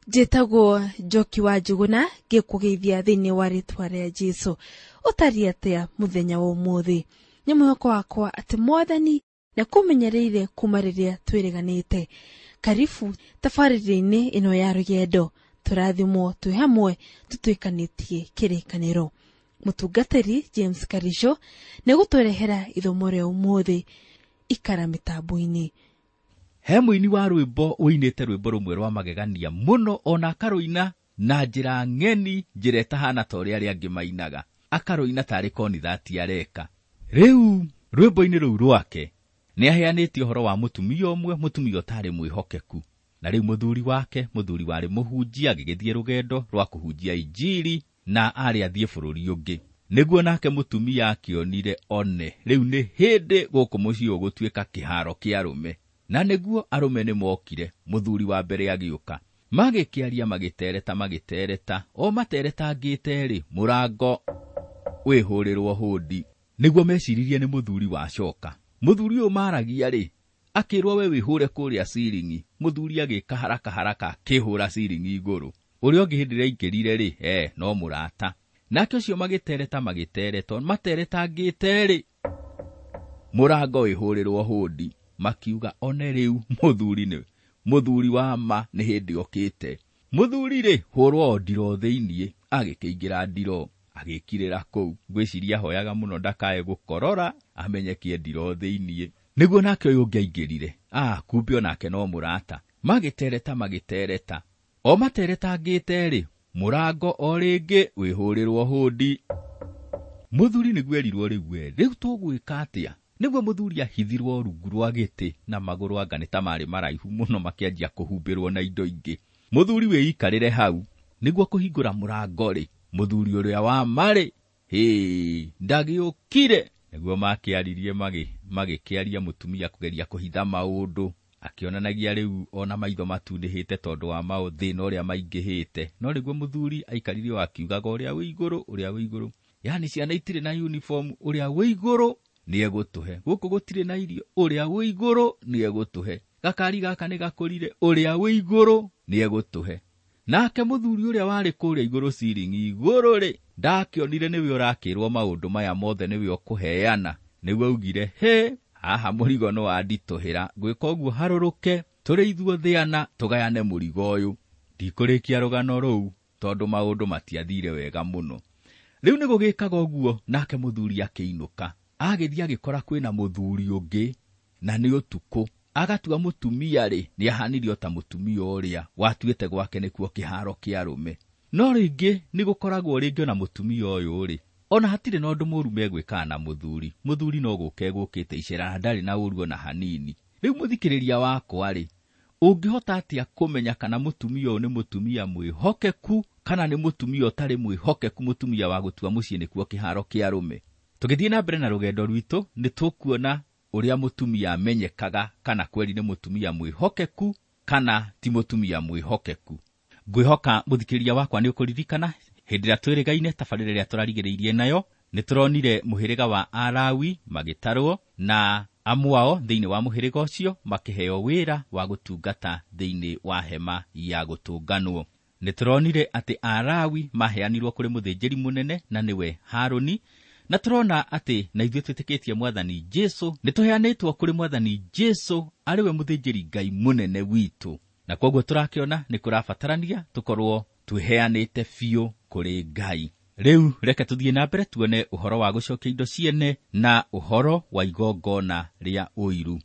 Njĩtagwo Njoki wa Njuguna, ngĩkũgeithia thĩinĩ wa rĩtwa rĩa Jesũ. Ũtariĩ atĩa mũthenya wa ũmũthĩ? Nĩ mwĩhoko wakwa atĩ Mwathani nĩakũmenyereire kuma rĩrĩa twĩrĩganĩte. Karibu tabarĩra-inĩ ĩno ya rũgendo, tũrathimwo twĩ hamwe tũtuĩkanĩtie kĩrĩkanĩro. Mũtungatĩri James Karisho nĩegũtũrehera ithomo rĩa ũmũthĩ. Ikara mĩtambo-inĩ. He mũini wa rwĩmbo ũinĩte rwĩmbo rũmwe rwa magegania mũno, ona akarũina na njĩra ng'eni, njĩra ĩtahana ta ũrĩa arĩa angĩ mainaga, akarũina tarĩ konithati areka. Rĩu rwĩmbo-inĩ rũu rwake nĩ aheanĩte ũhoro wa mũtumia ũmwe, mũtumia ũtarĩ mwĩhokeku. Na rĩu mũthuri wake, mũthuri warĩ mũhunjia, agĩgĩthiĩ rũgendo rwa kũhunjia injiri na arĩ athiĩ bũrũri ũngĩ. Nĩguo nake mũtumia akĩonire one rĩu nĩ hĩndĩ gũkũ mũciĩ ũgũtuĩka kĩharo kĩa arũme. Na nĩguo arũme nĩ mokire, mũthuri wa mbere agĩũka. Magĩkĩaria magĩtereta magĩtereta, o materetangĩte rĩ, mũrango wĩhũrĩrwo hũndi. Nĩguo meciririe nĩ mũthuri wacoka. Mũthuri ũyũ maragia rĩ, akĩrwo we wĩhũre kũrĩa ciringi. Mũthuri agĩka haraka haraka akĩhũra ciringi igũrũ. Ũrĩa ũngĩ hĩndĩ ĩrĩa aingĩrire rĩ, no mũrata. Nake ũcio magĩtereta magĩtereta, materetangĩte rĩ, mũrango wĩhũrĩrwo hũndi. Makiuga one rĩu mũthuri nĩ mũthuri wa ma nĩ hĩndĩ okĩte. Mũthuri rĩ, hũrwo ndiro thĩiniĩ, agĩkĩingĩra ndiro, agĩkirĩra kũu. Ngwĩciria ahoyaga mũno ndakae gũkorora, amenyekie ndiro thĩiniĩ. Nĩguo nake ũyũ ũngĩ aingĩrire, kumbe onake no mũrata. Magĩtereta magĩtereta, o materetangĩte rĩ, mũrango o rĩngĩ wĩhũrĩrwo hũndi. Mũthuri nĩguo erirwo rĩu we, rĩu tũgwĩka atĩa? Nĩguo mũthuri ahithirwo rungu rwa gĩtĩ na magũrũ anga nĩ ta marĩ maraihu mũno, makĩanjia kũhumbĩrwo na indo ingĩ. Mũthuri wĩikarĩre hau, nĩguo kũhingũra mũrango rĩ, mũthuri ũrĩa wa marĩ, hĩ, ndagĩũkire. Nĩguo makĩaririe magĩkĩaria mũtumia kũgeria kũhitha maũndũ, akĩonanagia rĩu ona maitho matunĩhĩte tondũ wa maũthĩna ũrĩa maingĩhĩte. No nĩguo mũthuri aikarire o akiugaga ũrĩa wĩ igũrũ, ũrĩa wĩ igũrũ, yaani ciana itirĩ na uniform, ũrĩa wĩ igũrũ nĩegũtũhe. Gũkũ gũtirĩ na irio, ũrĩa wĩ igũrũ nĩegũtũhe. Gakari gaka nĩ gakũrire, ũrĩa wĩ igũrũ nĩegũtũhe. Nake mũthuri ũrĩa warĩ kũrĩa igũrũ ciringi igũrũ rĩ, ndakĩonire nĩwe ũrakĩrwo maũndũ maya mothe nĩwe ũkũheana. Nĩguo augire, he, haha mũrigo nĩ wanditũhĩra, ngwĩka ũguo harũrũke, tũrĩ ithuothe ana tũgayane mũrigo ũyũ. Ndikũrĩkia rũgano rũu tondũ maũndũ matiathire wega mũno. Rĩu nĩ gũgĩkaga ũguo, nake mũthuri akĩinũka. Agĩthiĩ agĩkora kwĩna mũthuri ũngĩ na nĩ ũtukũ. Agatua mũtumia rĩ, nĩ ahanire o ta mũtumia ũrĩa watuĩte gwake nĩkuo kĩharo kĩa arũme. No rĩngĩ nĩ gũkoragwo rĩngĩ ona mũtumia ũyũ rĩ, ona hatirĩ na ũndũ mũũru megwĩkaga na mũthuri. Mũthuri no gũka egũkĩte icera na ndarĩ na ũũru ona hanini. Rĩu mũthikĩrĩria wakwa rĩ, ũngĩhota atĩa kũmenya kana mũtumia ũyũ nĩ mũtumia mwĩhokeku kana nĩ mũtumia ũtarĩ mwĩhokeku, mũtumia wa gũtua mũciĩ nĩkuo kĩharo kĩa arũme? Tũgĩthiĩ na mbere na rũgendo rwitũ, nĩ tũkuona ũrĩa mũtumia amenyekaga kana kweri nĩ mũtumia mwĩhokeku kana ti mũtumia mwĩhokeku. Ngwĩhoka mũthikĩrĩria wakwa nĩ ũkũririkana hĩndĩ ĩrĩa twĩrĩgaine tabarĩra ĩrĩa tũrarigĩrĩirie nayo, nĩ tũronire mũhĩrĩga wa Alawi magĩtarwo na amwe ao thĩinĩ wa mũhĩrĩga ũcio makĩheo wĩra wa gũtungata thĩinĩ wa hema ya gũtũnganwo. Nĩ tũronire atĩ Alawi maheanirwo kũrĩ mũthĩnjĩri mũnene na nĩwe Harũni, na tũrona atĩ na ithuĩ twĩtĩkĩtie Mwathani Jesũ, nĩ tũheanĩtwo kũrĩ Mwathani Jesũ arĩ we mũthĩnjĩri Ngai mũnene witũ. Na koguo tũrakĩona nĩ kũrabatarania tũkorwo twĩheanĩte biũ kũrĩ Ngai. Rĩu reke tũthiĩ na mbere tuone ũhoro wa gũcokia indo ciene na ũhoro wa igongona rĩa ũiru.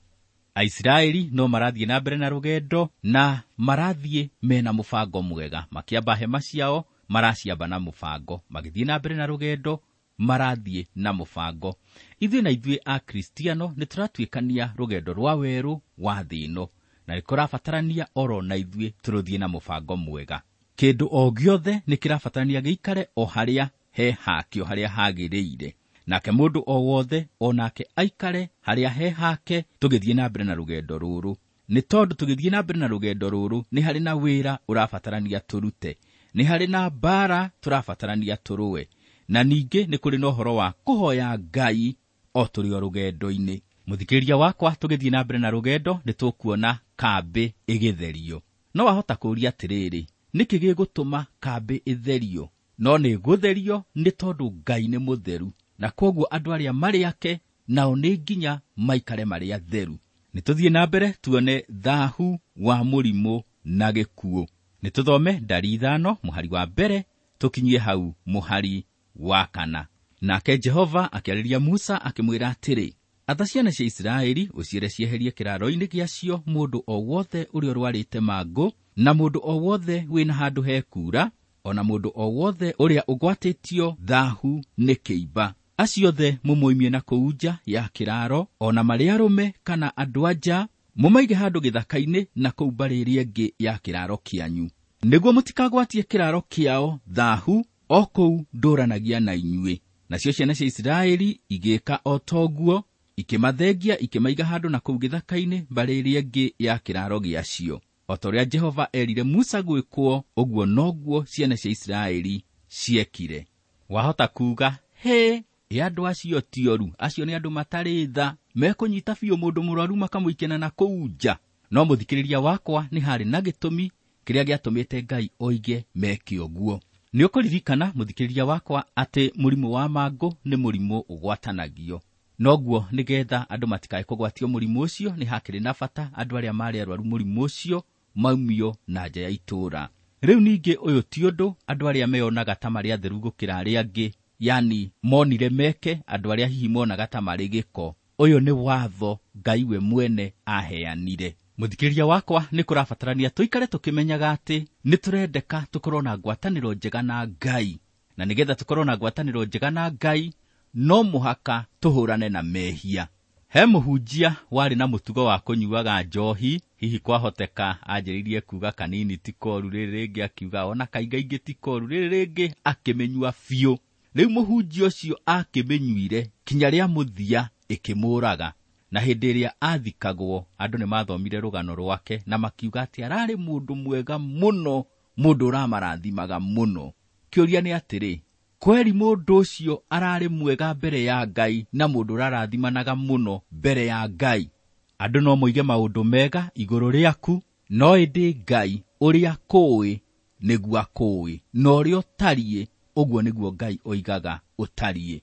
Aisiraeli no marathiĩ na mbere na rũgendo na marathiĩ mena mũbango mwega. Makĩamba hema ciao maraciamba na mũbango, magĩthiĩ na mbere na rũgendo marathiĩ na mũbango. Ithuĩ na ithuĩ Akristiano nĩ tũratuĩkania rũgendo rwa werũ wa thĩ ĩno, na nĩ kũrabatarania oro na ithuĩ tũrũthiĩ na mũbango mwega. Kĩndũ o gĩothe nĩ kĩrabatarania gĩikare o harĩa he hakĩo, harĩa hagĩrĩire. Nake mũndũ o wothe o nake aikare harĩa he hake tũgĩthiĩ na mbere na rũgendo rũrũ. Nĩ tondũ tũgĩthiĩ na mbere na rũgendo rũrũ nĩ harĩ na wĩra ũrabatarania tũrute, nĩ harĩ na mbara tũrabatarania tũrũe, na ningĩ nĩ kũrĩ na ũhoro wa kũhoya Ngai o tũrĩ o rũgendo-inĩ. Mũthikĩrĩria wakwa, tũgĩthiĩ na mbere na rũgendo nĩ tũkuona kambĩ ĩgĩtherio. No wahota kũũria atĩrĩrĩ, Nĩkĩ gĩgũtũma kambĩ ĩtherio? No nĩ gũtherio nĩ tondũ Ngai nĩ mũtheru, na kwoguo andũ arĩa marĩ ake nao nĩ nginya maikare marĩ atheru. Nĩ tũthiĩ na mbere tuone thahu wa mũrimũ na gĩkuũ. Nĩ tũthome ndari 5 mũhari wa 1 tũkinyie hau mũhari wa 4. Nake Jehova akĩarĩria Musa akĩmwĩra atĩrĩ, atha ciana cia Isiraeli ũciĩre cieherie kĩraaro-inĩ gĩacio mũndũ o wothe ũrĩa ũrwarĩte mangũ, na mũndũ o wothe wĩna handũ hekuura, ona mũndũ o wothe ũrĩa ũgwatĩtio thahu nĩ kĩimba. Acio othe mũmoimie na kũu nja ya kĩraaro, ona marĩ arũme kana andũ a nja, mũmaige handũ gĩthaka-inĩ na kũu mbarĩ ĩrĩa ĩngĩ ya kĩraaro kĩanyu, nĩguo mũtikagwatie kĩraaro kĩao thahu o kũu ndũranagia na inyuĩ. Nacio ciana cia Isiraeli igĩĩka o toguo, ikĩmathengia ikĩmaiga handũ na kũu gĩthaka-inĩ mbarĩ ĩrĩa ĩngĩ ya kĩraaro gĩacio. O ta ũrĩa Jehova erire Musa gwĩkwo, ũguo noguo ciana cia Isiraeli ciekire. Wahota kuuga, hĩ, ĩ andũ acio ti oru, acio nĩ andũ matarĩ tha, mekũnyita biũ mũndũ mũrwaru makamũikena na kũu nja. No mũthikĩrĩria wakwa, nĩ harĩ na gĩtũmi kĩrĩa gĩatũmĩte Ngai oige meke ũguo. Nĩ ũkũririkana mũthikĩrĩria wakwa atĩ mũrimũ wa mangũ nĩ mũrimũ ũgwatanagio. Noguo nĩgetha andũ matikae kũgwatio mũrimũ ũcio, nĩ hakĩrĩ na bata andũ arĩa marĩ arwaru mũrimũ ũcio maumio na nja ya itũũra. Rĩu ningĩ ũyũ ti ũndũ andũ arĩa meyonaga ta marĩ atheru gũkĩra arĩa angĩ, yani monire meke andũ arĩa hihi monaga ta marĩ gĩko. Ũyũ nĩ watho Ngai we mwene aheanire. Mũthikĩrĩria wakwa, nĩ kũrabatarania tũikare tũkĩmenyaga atĩ nĩ tũrendeka tũkorwo na ngwatanĩro njega na Ngai, na nĩgetha tũkorwo na ngwatanĩro njega na Ngai no mũhaka tũhũrane na mehia. He mũhunjia warĩ na mũtugo wa kũnyuaga njohi, hihi kwahoteka anjĩrĩirie kuuga kanini ti koru, rĩrĩ rĩngĩ akiuga ona kaingaingĩ ti koru, rĩrĩ rĩngĩ akĩmĩnyua biũ. Rĩu mũhunjia ũcio akĩmĩnyuire kinya rĩa mũthia ĩkĩmũraga. Na hĩndĩ ĩrĩa athikagwo, andũ nĩ mathomire rũgano rwake na makiuga atĩ ararĩ mũndũ mwega mũno, mũndũ ũramarathimaga mũno. Kĩũria nĩ atĩrĩ, kweri mũndũ ũcio ararĩ mwega mbere ya Ngai na mũndũ ũrarathimanaga mũno mbere ya Ngai? Andũ no moige maũndũ mega igũrũ rĩaku, no ĩndĩ Ngai ũrĩa kũĩ nĩguo akũĩ, na ũrĩa ũtariĩ ũguo nĩguo Ngai oigaga ũtariĩ.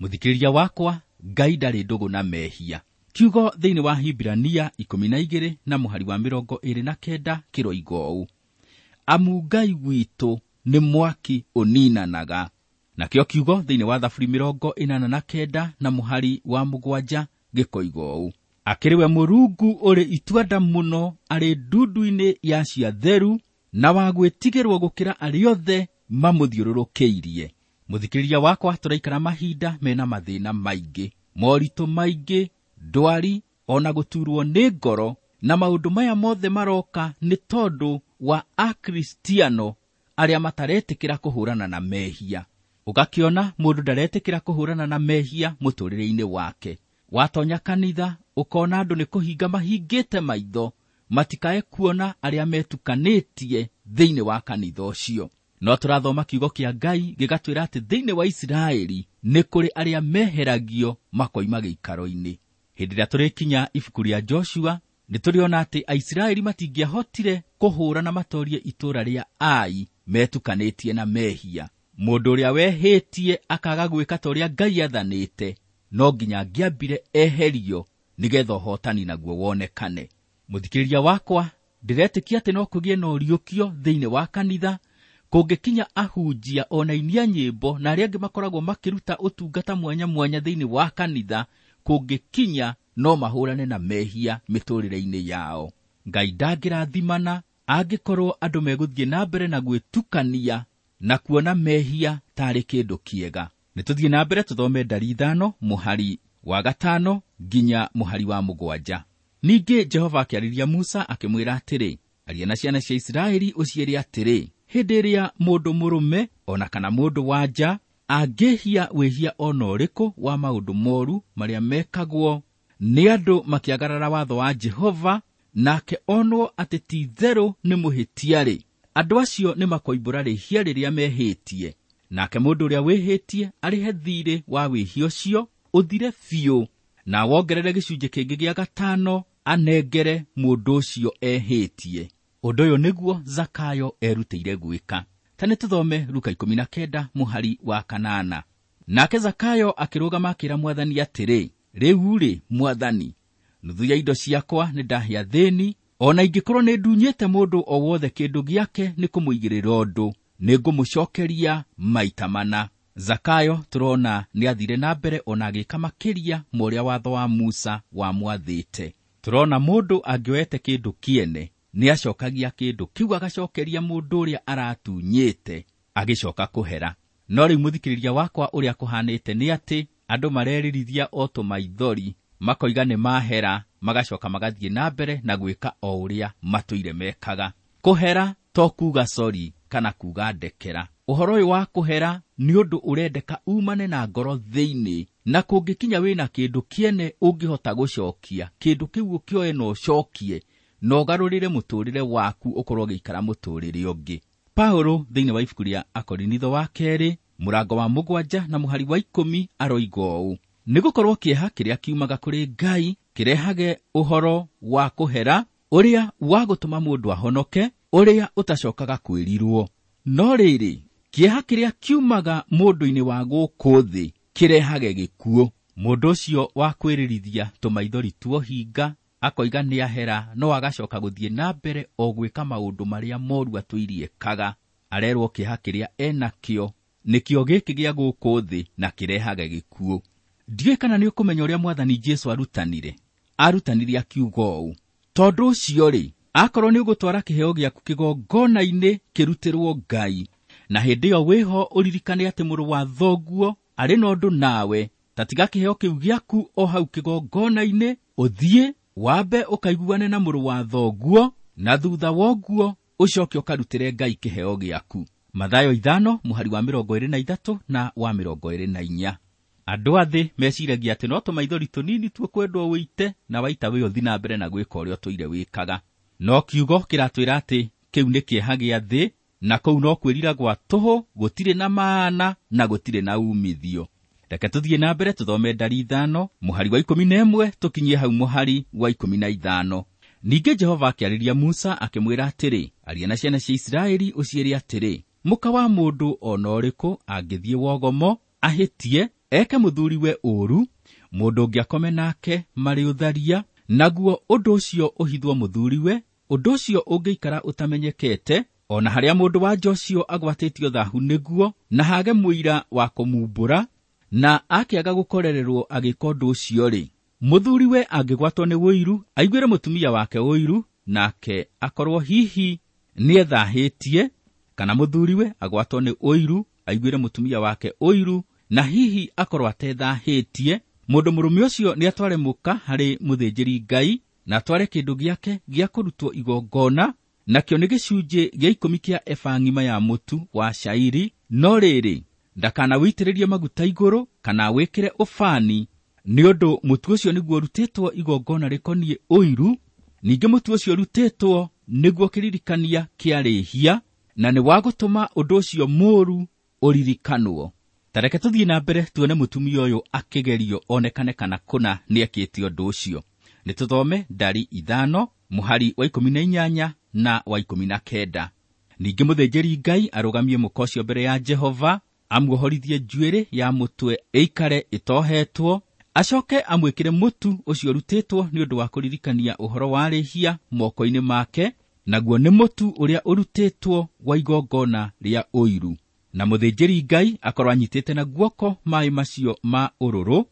Mũthikĩrĩria wakwa, Ngai ndarĩ ndũgũ na mehia. Kiugo thĩinĩ wa Hibirania 12 na mũhari wa 29 kĩroiga ũũ, amu Ngai witũ nĩ mwaki ũninanaga. Nakĩo kiugo thĩinĩ wa Thaburi 89 na mũhari wa 7 gĩkoiga ũũ, akĩrĩ we Mũrungu ũrĩ ituanda mũno, arĩ ndundu-inĩ ya ciatheru, na wa gwĩtigĩrwo gũkĩra arĩa othe mamũthiũrũrũkĩirie. Mũthikĩrĩria wakwa, tũraikara mahinda mena mathĩna maingĩ, moritũ maingĩ, ndwari, ona gũturwo nĩ ngoro, na maũndũ maya mothe maroka nĩ tondũ wa Akristiano arĩa mataretĩkĩra kũhũrana na mehia. Ũgakĩona mũndũ ndaretĩkĩra kũhũrana na mehia mũtũrĩre-inĩ wake. Watonya kanitha ũkona andũ nĩ kũhinga mahingĩte maitho, matikae kuona arĩa metukanĩtie thĩinĩ wa kanitha ũcio. No tũrathoma kiugo kĩa Ngai gĩgatwĩra atĩ thĩinĩ wa Isiraeli nĩ kũrĩ arĩa meheragio makoima gĩikaro-inĩ. Hĩndĩ ĩrĩa tũrĩkinya ibuku rĩa Joshua, nĩ tũrĩona atĩ Aisiraeli matingĩahotire kũhũra na matorie itũũra rĩa Ai metukanĩtie na mehia. Mũndũ ũrĩa wehĩtie akaga gwĩka ta ũrĩa Ngai athanĩte, no nginya angĩambire eherio nĩgetha ũhotani naguo wonekane. Mũthikĩrĩria wakwa, ndĩretĩkia atĩ no kũgĩe na ũriũkio thĩinĩ wa kanitha kũngĩkinya ahunjia ona inia nyĩmbo na arĩa angĩ makoragwo makĩruta ũtungata mwanya mwanya thĩinĩ wa kanitha, kũngĩkinya no mahũrane na mehia mĩtũrĩre-inĩ yao. Ngai ndangĩrathimana angĩkorwo andũ megũthiĩ na mbere na gwĩtukania na kuona mehia tarĩ kĩndũ kĩega. Nĩ tũthiĩ na mbere tũthome ndari 5 mũhari wa 5 nginya mũhari wa 7. Ningĩ Jehova akĩarĩria Musa akĩmwĩra atĩrĩ, aria na ciana cia Isiraeli ũciĩre atĩrĩ, hĩndĩ ĩrĩa mũndũ mũrũme ona kana mũndũ wa nja angĩhia wĩhia ona ũrĩkũ wa maũndũ moru marĩa mekagwo nĩ andũ makĩagarara watho wa Jehova, nake onwo atĩ ti itherũ nĩ mũhĩtia-rĩ, andũ acio nĩ makoimbũra rĩhia rĩrĩa mehĩtie. Nake mũndũ ũrĩa wĩhĩtie arĩhe thiirĩ wa wĩhia ũcio ũthire biũ, na wongerere gĩcunjĩ kĩngĩ gĩa 5 anengere mũndũ ũcio ehĩtie. Ũndũ ũyũ nĩguo Zakayo erutĩire gwĩka. Ta nĩ tũthome Luka 19 mũhari wa 8. Nake Zakayo akĩrũgama akĩra Mwathani atĩrĩ, rĩu-rĩ, Mwathani, nuthu ya indo ciakwa nĩ ndahe athĩni, ona ingĩkorwo nĩ ndunyĩte mũndũ o wothe kĩndũ gĩake nĩ kũmũigĩrĩra ũndũ, nĩ ngũmũcokeria maita mana. Zakayo tũrona nĩ athire na mbere ona agĩka makĩria ma ũrĩa watho wa Musa wamwathĩte. Tũrona mũndũ angĩoete kĩndũ kĩene nĩ acokagia kĩndũ kĩu agacokeria mũndũ ũrĩa aratunyĩte agĩcoka kũhera. No rĩu mũthikĩrĩria wakwa ũrĩa kũhanĩte nĩ atĩ andũ mareririthia o tũmaithori, makoiga nĩ mahera, magacoka magathiĩ na mbere na gwĩka o ũrĩa matũire mekaga. Kũhera to kuga sori kana kuga ndekera. Ũhoro ũyũ wa kũhera nĩ ũndũ ũrendeka umane na ngoro thĩinĩ, na kũngĩkinya wĩna kĩndũ kĩene ũngĩhota gũcokia, kĩndũ kĩu ũkĩoe na ũcokie, na ũgarũrĩre mũtũrĩre waku ũkorwo ũgĩikara mũtũrĩre ũngĩ. Paulo thĩinĩ wa ibuku rĩa Akorinitho wa kerĩ mũrango wa 7 na mũhari wa 10 aroiga ũũ: nĩgũkorwo kĩeha kĩrĩa kiumaga kũrĩ Ngai kĩrehage ũhoro wa kũhera ũrĩa wa gũtũma mũndũ ahonoke, ũrĩa ũtacokaga kwĩrirwo. No rĩrĩ, kĩeha kĩrĩa kiumaga mũndũ-inĩ wa gũkũ thĩ kĩrehage gĩkuũ. Mũndũ ũcio wa kwĩririthia tũmaithori tuohinga akoiga nĩ ahera, no agacoka gũthiĩ na mbere o gwĩka maũndũ marĩa moru atũiriekaga. Arerwo kĩeha kĩrĩa enakĩo nĩkĩo gĩkĩ gĩa gũkũ thĩ na kĩrehage gĩkuũ. Ndiũĩ kana nĩ ũkũmenya ũrĩa Mwathani Jesũ arutanire. Arutanire akiuga ũũ: tondũ ũcio-rĩ, akorwo nĩ ũgũtwara kĩheo gĩaku kĩgongona-inĩ kĩrutĩrwo Ngai, na hĩndĩ ĩyo wĩho ũririkane atĩ mũrũ wa thoguo arĩ na ũndũ nawe, ta tiga kĩheo kĩu gĩaku o hau kĩgongona-inĩ, ũthiĩ wambe ũkaiguane na mũrũ wa thoguo, na thutha woguo ũcoke ũkarutĩre Ngai kĩheo gĩaku. Mathayo 5 mũhari wa 23 na wa 24. Andũ a thĩ meciragia atĩ no tũmaithori tũnini tuo kwendwo wĩite, na waita wĩ ũthi na mbere na gwĩka ũrĩa ũtũire wĩkaga. No kiugo kĩratwĩra atĩ kĩu nĩ kĩeha gĩa thĩ, na kũu no kwĩrira gwa tũhũ, gũtirĩ na maana na gũtirĩ na umithio. Reke tũthiĩ na mbere tũthome ndari 5 mũhari wa 11 tũkinyie hau mũhari wa 15. Ningĩ Jehova akĩarĩria Musa akĩmwĩra atĩrĩ, aria na ciana cia Isiraeli ũciĩre atĩrĩ, mũka wa mũndũ o na ũrĩkũ angĩthiĩ wogomo ahĩtie eke mũthuriwe ũũru, mũndũ ũngĩ akome nake marĩ ũtharia, naguo ũndũ ũcio ũhithwo mũthuriwe, ũndũ ũcio ũngĩikara ũtamenyekete, ona harĩa mũndũ wa nja ũcio agwatĩtio thahu nĩguo, na hage mũira wa kũmumbũra, na akĩaga gũkorererwo agĩka ũndũ ũcio-rĩ, mũthuriwe angĩgwatwo nĩ ũiru, aiguĩre mũtumia wake ũiru, nake akorwo hihi nĩethahĩtie, kana mũthuriwe agwatwo nĩ ũiru, aiguĩre mũtumia wake ũiru, na hihi akorwo atethahĩtie, mũndũ mũrũme ũcio nĩatware mũka harĩ mũthĩnjĩri Ngai, na atware kĩndũ gĩake gĩa kũrutwo igongona, nakĩo nĩ gĩcunjĩ gĩa 10 kĩa eba ng'ima ya mũtu wa cairi. No rĩrĩ, ndakanawĩitĩrĩrie maguta igũrũ kana wĩkĩre ũbani, nĩ ũndũ mũtu ũcio nĩguo ũrutĩtwo igongona rĩkoniĩ ũiru, ningĩ mũtu ũcio ũrutĩtwo nĩguo kĩririkania kĩa rĩhia, na nĩ wa gũtũma ũndũ ũcio mũũru ũririkanwo. Ta reke tũthiĩ na mbere tuone mũtumia ũyũ akĩgerio onekane kana kũna nĩekĩte ũndũ ũcio. Nĩ tũthome ndari 5 mũhari wa 18 na wa 19. Ningĩ mũthĩnjĩri Ngai arũgamie mũka ũcio mbere ya Jehova, amuohorithie njuĩrĩ ya mũtwe ĩikare ĩtohetwo, acoke amwĩkĩre mũtu ũcio ũrutĩtwo nĩ ũndũ wa kũririkania ũhoro wa rĩhia moko-inĩ make, naguo nĩ mũtu ũrĩa ũrutĩtwo wa igongona rĩa ũiru. Na mũthĩnjĩri Ngai akorwo anyitĩte na guoko maaĩ macio ma ũrũrũ,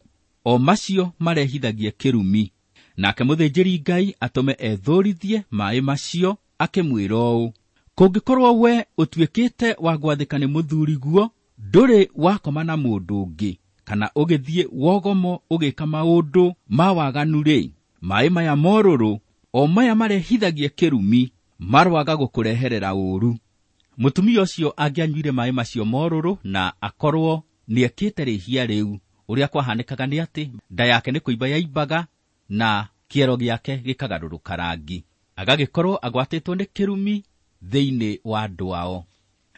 o macio marehithagie kĩrumi. Nake mũthĩnjĩri Ngai atũme ethũrithie maaĩ macio, akĩmwĩra ũũ: kũngĩkorwo we ũtuĩkĩte wa gwathĩka nĩ mũthuriguo, ndũrĩ wakoma na mũndũ ũngĩ, kana ũgĩthiĩ wogomo ũgĩka maũndũ ma waganu-rĩ, maaĩ maya morũrũ, o maya marehithagie kĩrumi, marwaga gũkũreherera ũũru. Mũtumia ũcio angĩanyuire maaĩ macio morũrũ na akorwo nĩekĩte rĩhia rĩu, ũrĩa kwahanĩkaga nĩ atĩ nda yake nĩ kũimba yaimbaga na kĩero gĩake gĩkagarũrũka rangi, agagĩkorwo agwatĩtwo nĩ kĩrumi thĩinĩ wa andũ ao.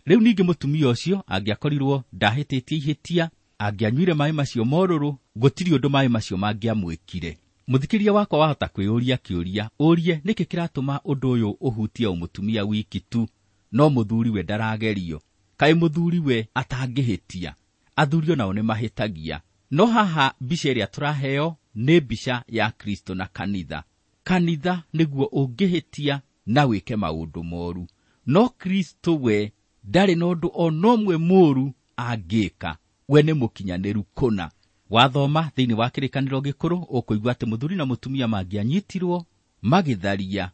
Rĩu ningĩ mũtumia ũcio angĩakorirwo ndahĩtĩtie ihĩtia, angĩanyuire maaĩ macio morũrũ, gũtirĩ ũndũ maaĩ macio mangĩamwĩkire. Mũthikĩrĩria wakwa wahota kwĩyũria kĩũria, ũrie nĩkĩ kĩratũma ũndũ ũyũ ũhutie o mũtumia wiki tu, no mũthuri we ndaragerio. Kaĩ mũthuri we atangĩhĩtia? Athuri onao nĩ mahĩtagia. No haha mbica ĩrĩa tũraheo nĩ mbica ya Kristo na kanitha. Kanitha nĩguo ũngĩhĩtia na wĩke maũndũ moru, no Kristo we ndarĩ na ũndũ o na ũmwe mũũru angĩka. We nĩ mũkinyanĩru kũna. Wathoma thĩinĩ wa kĩrĩkanĩro gĩkũrũ ũkũigua atĩ mũthuri na mũtumia mangĩanyitirwo magĩtharia,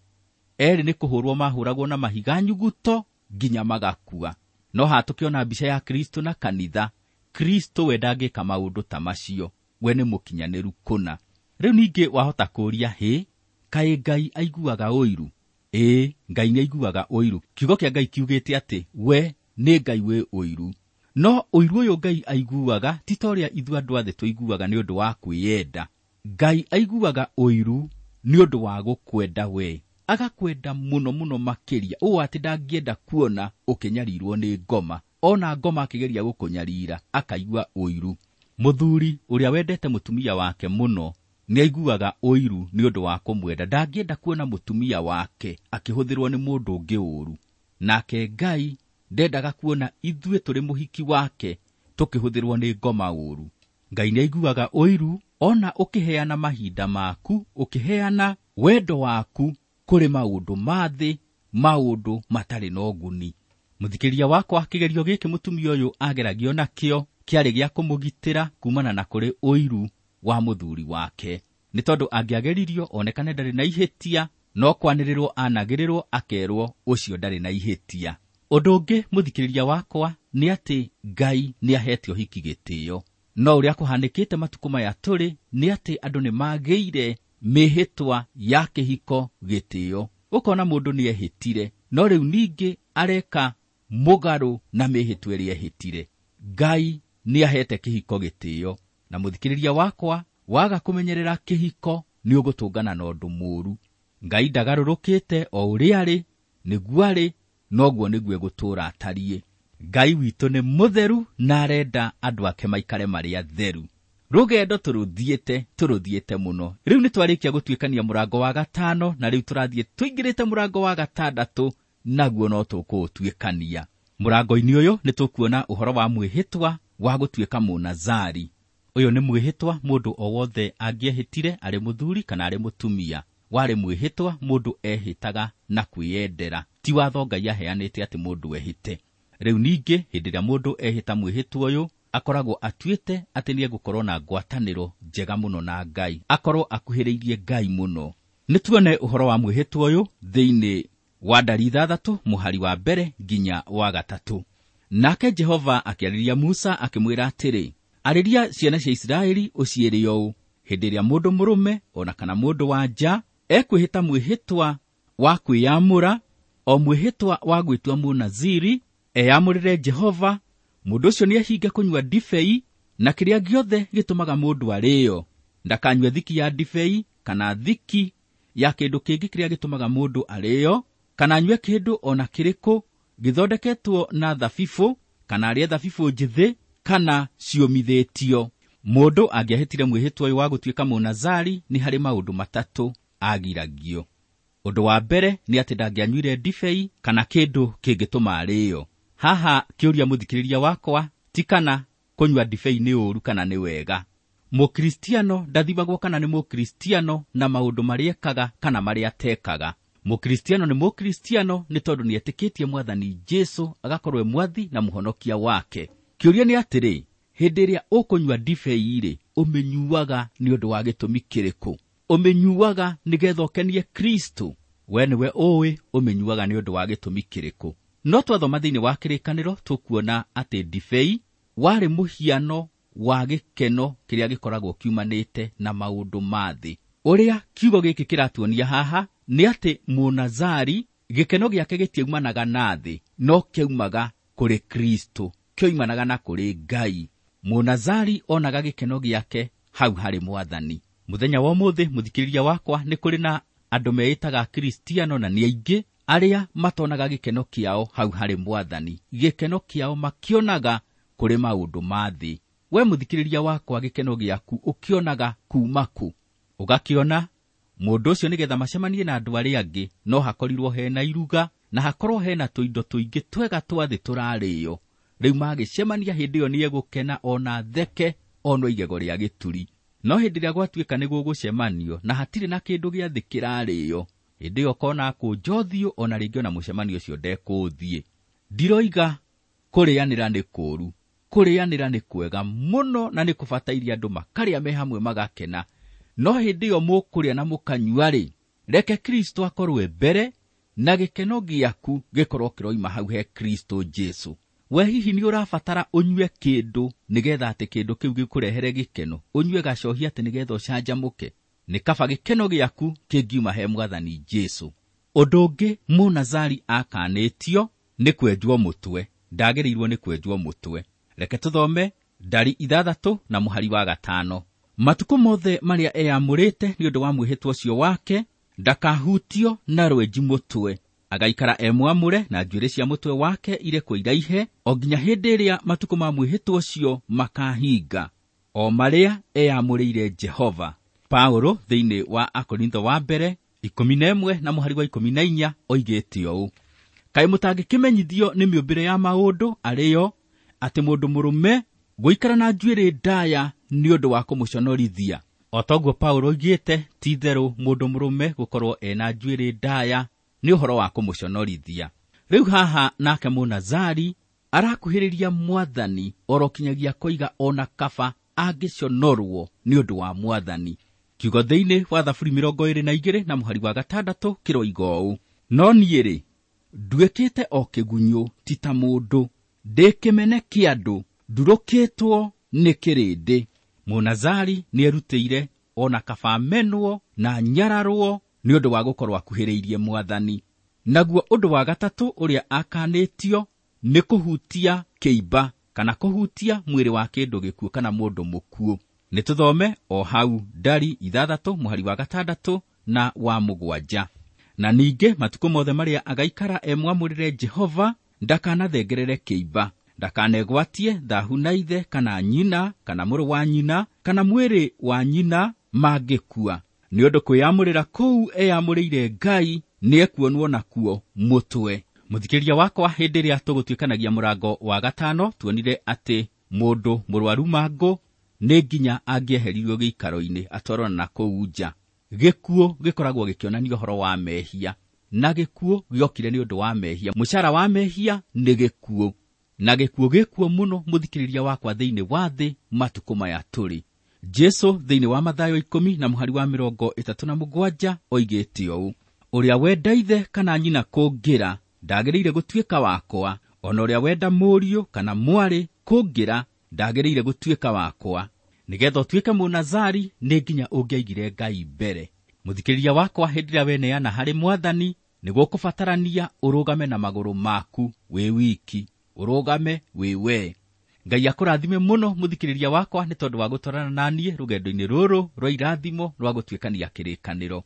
erĩ nĩ kũhũrwo mahũragwo na mahiga nyuguto nginya magakua. No haha tũkĩona mbica ya Kristo na kanitha, Kristo we ndangĩka maũndũ ta macio, we nĩ mũkinyanĩru kũna. Rĩu ningĩ wahota kũũria, hĩ, kaĩ Ngai aiguaga ũiru? Ĩĩ, Ngai nĩ aiguaga ũiru. Kiugo kĩa Ngai kiugĩte atĩ we nĩ Ngai wĩ ũiru. No ũiru ũyũ Ngai aiguaga ti ta ũrĩa ithuĩ andũ a thĩ tũiguaga nĩ ũndũ wa kwĩyenda. Ngai aiguaga ũiru nĩ ũndũ wa gũkwenda we, agakwenda mũno mũno makĩria, ũũ atĩ ndangĩenda kuona ũkĩnyarirwo nĩ ngoma. Ona ngoma akĩgeria gũkũnyarira akaigua ũiru. Mũthuri ũrĩa wendete mũtumia wake mũno nĩ aiguaga ũiru nĩ ũndũ wa kũmwenda. Ndangĩenda kuona mũtumia wake akĩhũthĩrwo nĩ mũndũ ũngĩ ũũru. Nake Ngai ndendaga kuona ithuĩ tũrĩ mũhiki wake tũkĩhũthĩrwo nĩ ngoma ũũru. Ngai nĩ aiguaga ũiru ona ũkĩheana mahinda maku, ũkĩheana wendo waku kũrĩ maũndũ ma thĩ, maũndũ matarĩ na ũguni. Mũthikĩrĩria wakwa, kĩgerio gĩkĩ mũtumia ũyũ ageragio nakĩo kĩarĩ gĩa kũmũgitĩra kumana na kũrĩ ũiru wa mũthuri wake. Nĩ tondũ angĩageririo onekane ndarĩ na ihĩtia, no kwanĩrĩrwo anagĩrĩrwo akerwo ũcio ndarĩ na ihĩtia. Ũndũ ũngĩ mũthikĩrĩria wakwa nĩ atĩ Ngai nĩ ahete ũhiki gĩtĩo. No ũrĩa kũhanĩkĩte matukũ maya tũrĩ nĩ atĩ andũ nĩ magĩire mĩhĩtwa ya kĩhiko gĩtĩo. Ũkona mũndũ nĩ ehĩtire, no rĩu ningĩ areka mũgarũ na mĩhĩtwa ĩrĩa ehĩtire. Ngai nĩ ahete kĩhiko gĩtĩo, na mũthikĩrĩria wakwa, waga kũmenyerera kĩhiko nĩ ũgũtũngana na ũndũ mũũru. Ngai ndagarũrũkĩte o ũrĩa arĩ, nĩguo arĩ, noguo nĩguo egũtũũra atariĩ. Ngai witũ nĩ mũtheru na arenda andũ ake maikare marĩ atheru. Rũgendo tũrũthiĩte mũno. Rĩu nĩ twarĩkia gũtuĩkania mũrango wa gatano, na rĩu tũrathiĩ tũingĩrĩte mũrango wa gatandatũ, naguo no tũkũũtuĩkania. Mũrango-inĩ ũyũ nĩ tũkuona ũhoro wa mwĩhĩtwa wa gũtuĩka mũnazari. Ũyũ nĩ mwĩhĩtwa mũndũ o wothe angĩehĩtire arĩ mũthuri kana arĩ mũtumia. Warĩ mwĩhĩtwa mũndũ ehĩtaga na kwĩyendera, ti watho Ngai aheanĩte atĩ mũndũ ehĩte. Rĩu ningĩ hĩndĩ ĩrĩa mũndũ ehĩta mwĩhĩtwa ũyũ, akoragwo atuĩte atĩ nĩ egũkorwo na ngwatanĩro njega mũno na Ngai, akorwo akuhĩrĩirie Ngai mũno. Nĩ tuone ũhoro wa mwĩhĩtwa ũyũ thĩinĩ wa ndari 6 mũhari wa 1 nginya wa 3. Nake Jehova akĩarĩria Musa akĩmwĩra atĩrĩ, arĩria ciana cia Isiraeli ũciĩre ũũ, hĩndĩ ĩrĩa mũndũ mũrũme ona kana mũndũ wa nja ekwĩhĩta mwĩhĩtwa wa kwĩyamũra, o mwĩhĩtwa wa gwĩtua mũnaziri, eyamũrĩre Jehova, mũndũ ũcio nĩehinge kũnyua ndibei na kĩrĩa gĩothe gĩtũmaga mũndũ arĩĩo. Ndakanyue thiki ya ndibei kana thiki ya kĩndũ kĩngĩ kĩrĩa gĩtũmaga mũndũ arĩĩo, kana anyue kĩndũ o na kĩrĩkũ gĩthondeketwo na thabibũ, kana arĩe thabibũ njĩthĩ kana ciũmithĩtio. Mũndũ angĩahĩtire mwĩhĩtwa ũyũ wa gũtuĩka mũnazari, nĩ harĩ maũndũ matatũ agiragio. Ũndũ wa mbere nĩ atĩ ndangĩanyuire ndibei kana kĩndũ kĩngĩtũma arĩĩo. Haha kĩũria mũthikĩrĩria wakwa ti kana kũnyua ndibei nĩ ũũru kana nĩ wega. Mũkristiano ndathimagwo kana nĩ mũkristiano na maũndũ marĩa ekaga kana marĩa atekaga. Mũkristiano nĩ mũkristiano nĩ tondũ nĩ etĩkĩtie Mwathani Jesũ agakorwo e mwathi na mũhonokia wake. Kĩũria nĩ atĩrĩ, hĩndĩ ĩrĩa ũkũnyua ndibei-rĩ, ũmĩnyuaga nĩ ũndũ wa gĩtũmi kĩrĩkũ? Ũmĩnyuaga nĩgetha ũkenie Kristo? We nĩwe ũĩ ũmĩnyuaga nĩ ũndũ wa gĩtũmi kĩrĩkũ. No twathoma thĩinĩ wa kĩrĩkanĩro tũkuona atĩ ndibei warĩ mũhiano wa gĩkeno kĩrĩa gĩkoragwo kiumanĩte na maũndũ ma thĩ. Ũrĩa kiugo gĩkĩ kĩratuonia haha nĩ atĩ mũnazari gĩkeno gĩake gĩtiaumanaga na thĩ, no kĩaumaga kũrĩ Kristo, kĩoimanaga na kũrĩ Ngai. Mũnazari onaga gĩkeno gĩake hau harĩ Mwathani. Mũthenya wa ũmũthĩ mũthikĩrĩria wakwa, nĩ kũrĩ na andũ meĩtaga Kristiano na nĩ aingĩ arĩa matonaga gĩkeno kĩao hau harĩ Mwathani. Gĩkeno kĩao makĩonaga kũrĩ maũndũ ma thĩ. We mũthikĩrĩria wakwa, gĩkeno gĩaku ũkĩonaga kuma kũ? Ũgakĩona mũndũ ũcio nĩgetha macemanie na andũ arĩa angĩ no hakorirwo hena iruga na hakorwo hena tũindo tũingĩ twega twa thĩ tũrarĩo. Rĩu magĩcemania hĩndĩ ĩyo nĩegũkena ona theke onwo igego rĩa gĩturi. No hĩndĩ ĩrĩa gwatuĩka nĩ gũgũcemanio na hatirĩ na kĩndũ gĩa thĩ kĩrarĩo, hĩndĩ ĩyo ũkona akũnja ũthiũ ona rĩngĩ ona mũcemanio ũcio ndekũũthiĩ. Ndiroiga kũrĩanĩra nĩ kũũru, kũrĩanĩra nĩ kwega mũno na nĩ kũbataire andũ makarĩa me hamwe magakena. No hĩndĩ ĩyo mũkũrĩa na mũkanyua-rĩ, reke Kristo akorwe mbere na gĩkeno gĩaku gĩkorwo kĩroima hau he Kristo Jesu. We hihi nĩ ũrabatara ũnyue kĩndũ nĩgetha atĩ kĩndũ kĩu gĩkũrehere gĩkeno, ũnyue gacohi atĩ nĩgetha ũcanjamũke? Nĩ kaba gĩkeno gĩaku kĩngiuma he Mwathani Jesu. Ũndũ ũngĩ Mũnazari akanĩtio nĩ kwenjwo mũtwe, ndagĩrĩirwo nĩ kwenjwo mũtwe. Reke tũthome Ndari 6 na mũhari wa 5. Matukũ mothe marĩa eyamũrĩte nĩ ũndũ wa mwĩhĩtwa ũcio wake, ndakahutio na rwenji mũtwe, agaikara e mwamũre na njuĩrĩ cia mũtwe wake irekwo iraihe o nginya hĩndĩ ĩrĩa matukũ ma mwĩhĩtwa ũcio makahinga, o marĩa eyamũrĩire Jehova. Paulo thĩinĩ wa Akorintho wa mbere 11 na mũhari wa 14 oigĩte ũũ: Kaĩ mũtangĩkĩmenyithio nĩ mĩũmbĩre ya maũndũ arĩyo atĩ mũndũ mũrũme gũikara na njuĩrĩ ndaya nĩ ũndũ wa kũmũconorithia. O toguo Paulo oigĩte, ti itherũ mũndũ mũrũme gũkorwo ena njuĩrĩ ndaya nĩ ũhoro wa kũmũconorithia. Rĩu haha nake Mũnazari arakuhĩrĩria Mwathani oro kinyagia koiga ona kaba angĩconorwo nĩ ũndũ wa Mwathani. Kiugo thĩinĩ wa Thaburi 22 na mũhari wa 6 kĩroiga ũũ: No niĩ-rĩ, nduĩkĩte o kĩgunyũ ti ta mũndũ, ndĩ kĩmene kĩa andũ, ndurũkĩtwo nĩ kĩrĩndĩ. Mũnazari nĩerutĩire ona kaba amenwo na nyararwo nĩ ũndũ wa gũkorwo akuhĩrĩirie Mwathani. Naguo ũndũ wa gatatũ ũrĩa akanĩtio nĩ kũhutia kĩimba kana kũhutia mwĩrĩ wa kĩndũ gĩkuũ kana mũndũ mũkuũ. Nĩ tũthome o hau Ndari 6 mũhari wa 6 na wa 7. Na ningĩ matukũ mothe marĩa agaikara e mwamũrĩre Jehova, ndakanathengerere kĩimba, ndakanegwatie thahu na ithe kana nyina kana mũrũ wa nyina kana mwĩrĩ wa nyina mangĩkua, nĩ ũndũ kwĩyamũrĩra kũu eyamũrĩire Ngai nĩekuonwo nakuo mũtwe. Mũthikĩrĩria wakwa, hĩndĩ ĩrĩa tũgũtuĩkanagia mũrango wa 5 tuonire atĩ mũndũ mũrwaru mangũ nĩ nginya angĩeheririo gĩikaro-inĩ atwarwo na kũu nja. Gĩkuũ gĩkoragwo gĩkĩonania ũhoro wa mehia, na gĩkuũ gĩokire nĩ ũndũ wa mehia. Mũcara wa mehia nĩ gĩkuũ, na gĩkuũ gĩkuo mũno mũthikĩrĩria wakwa thĩinĩ wa thĩ matukũ maya tũrĩ. Jesu thĩinĩ wa Mathayo 10 na mũhari wa 37 oigĩte ũũ: Ũrĩa wenda ithe kana nyina kũngĩra ndagĩrĩire gũtuĩka wakwa, ona ũrĩa wenda mũriũ kana mwarĩ kũngĩra ndagĩrĩire gũtuĩka wakwa. Nĩgetha ũtuĩke Mũnazari nĩ nginya ũngĩaigire Ngai mbere. Mũthikĩrĩria wakwa, hĩndĩ ĩrĩa weneana harĩ Mwathani nĩ gũkũbatarania ũrũgame na magũrũ maku wĩ wiki, ũrũgame wĩ we. Ngai akũrathime mũno mũthikĩrĩria wakwa nĩ tondũ wa gũtwarana na niĩ rũgendo-inĩ rũrũ rwa irathimo rwa gũtuĩkania kĩrĩkanĩro.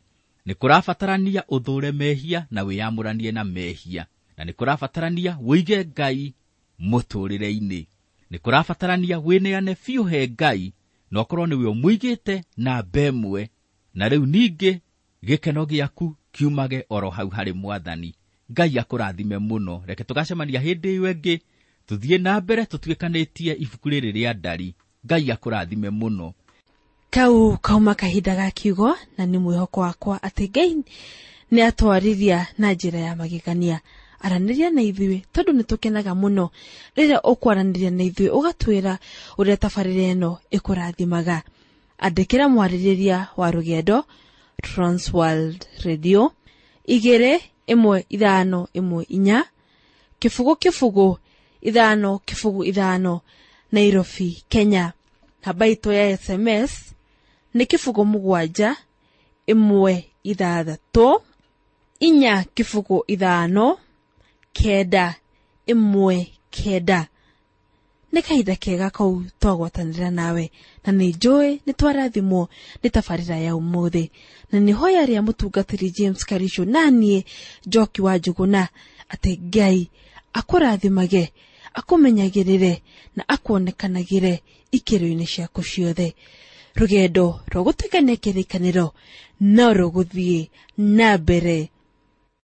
Nĩ kũrabatarania ũthũre mehia na wĩyamũranie na mehia, na nĩ kũrabatarania wĩige Ngai mũtũũrĩre-inĩ. Nĩ kũrabatarania wĩneane biũ he Ngai, na ũkorwo nĩwe ũmũigĩte na ĩmwe, na rĩu ningĩ gĩkeno gĩaku kiumage oro hau harĩ Mwathani. Ngai akũrathime mũno. Reke tũgacemania hĩndĩ ĩyo ĩngĩ, tũthiĩ na mbere tũtuĩkanĩtie ibuku rĩrĩ rĩa Ndari. Ngai akũrathime mũno. Kau kauma kahinda ga kiugo, na nĩ mwĩhoko wakwa atĩ Ngai nĩ atwarĩria na njĩra ya magegania. Aranĩria na ithuĩ tondũ nĩ tũkenaga mũno rĩrĩa ũkwaranĩria na ithuĩ ũgatwĩra ũrĩa tabarĩra ĩno ĩkũrathimaga. Andĩkĩra mwarĩrĩria wa rũgendo Transworld Radio 2 1 5 1 4 0 0 5 0 5 Nairobi, Kenya. Namba itũ ya SMS nĩ 0 7 1 6 4 0 5 9 1 9. Nĩ kahinda kega kau twagwatanĩra nawe, na nĩ njũĩ nĩ twarathimwo nĩ tabarĩra ya ũmũthĩ, na nĩ hoya rĩa mũtungatĩri James Karisho na niĩ Njoki wa Njũgũna atĩ Ngai akũrathimage, akũmenyagĩrĩre na akuonekanagĩre ikĩro-inĩ ciaku ciothe. Rũgendo rwa gũtuĩkania kĩrĩkanĩro no rũgũthiĩ na mbere.